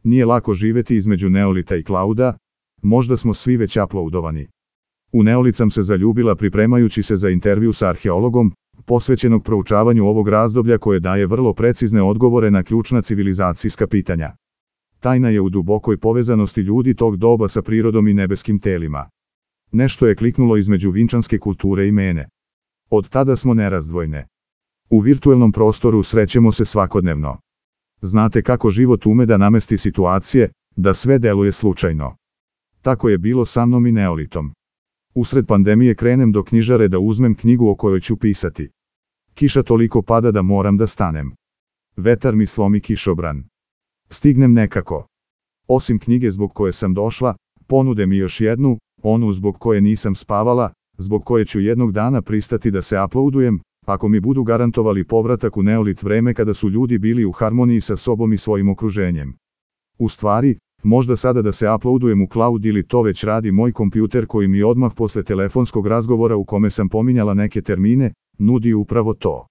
Nije lako živeti između neolita i klauda, možda smo svi već uploadovani. U neolit sam se zaljubila pripremajući se za intervju sa arheologom, posvećenog proučavanju ovog razdoblja koje daje vrlo precizne odgovore na ključna civilizacijska pitanja. Tajna je u dubokoj povezanosti ljudi tog doba sa prirodom i nebeskim telima. Nešto je kliknulo između vinčanske kulture i mene. Od tada smo nerazdvojne. U virtuelnom prostoru srećemo se svakodnevno. Znate kako život ume da namesti situacije, da sve deluje slučajno. Tako je bilo sa mnom i neolitom. Usred pandemije krenem do knjižare da uzmem knjigu o kojoj ću pisati. Kiša toliko pada da moram da stanem. Vetar mi slomi kišobran. Stignem nekako. Osim knjige zbog koje sam došla, ponude mi još jednu, onu zbog koje nisam spavala, zbog koje ću jednog dana pristati da se uploadujem, ako mi budu garantovali povratak u neolit vreme kada su ljudi bili u harmoniji sa sobom i svojim okruženjem. U stvari, možda sada da se uploadujem u cloud ili to već radi moj kompjuter koji mi odmah posle telefonskog razgovora u kome sam pominjala neke termine, nudi upravo to.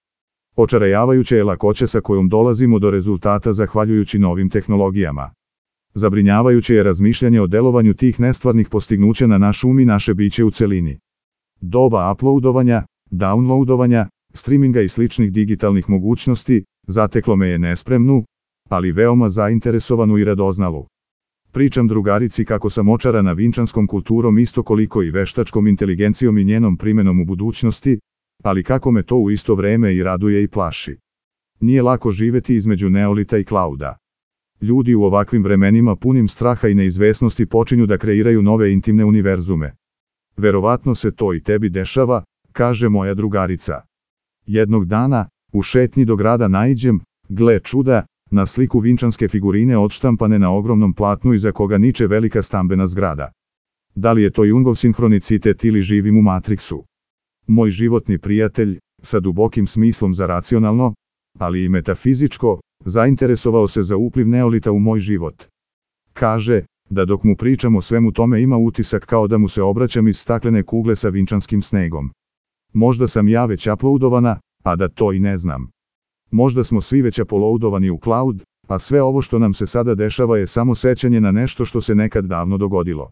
Očarajavajuće je lakoća sa kojom dolazimo do rezultata zahvaljujući novim tehnologijama. Zabrinjavajuće je razmišljanje o delovanju tih nestvarnih postignuća na naš um i naše biće u celini. Doba uploadovanja, downloadovanja, streaminga i sličnih digitalnih mogućnosti zateklo me je nespremnu, ali veoma zainteresovanu i radoznalu. Pričam drugarici kako sam očarana vinčanskom kulturom isto koliko i veštačkom inteligencijom i njenom primenom u budućnosti, ali kako me to u isto vreme i raduje i plaši. Nije lako živeti između neolita i klauda. Ljudi u ovakvim vremenima punim straha i neizvesnosti počinju da kreiraju nove intimne univerzume. Verovatno se to i tebi dešava, kaže moja drugarica. Jednog dana, u šetnji do grada naiđem, gle čuda, na sliku vinčanske figurine odštampane na ogromnom platnu iza koga niče velika stambena zgrada. Da li je to Jungov sinhronicitet ili živim u Matrixu? Moj životni prijatelj, sa dubokim smislom za racionalno, ali i metafizičko, zainteresovao se za upliv neolita u moj život. Kaže, da dok mu pričam o svemu tome ima utisak kao da mu se obraćam iz staklene kugle sa vinčanskim snegom. Možda sam ja već uploadovana, a da to i ne znam. Možda smo svi već uploadovani u cloud, a sve ovo što nam se sada dešava je samo sećanje na nešto što se nekad davno dogodilo.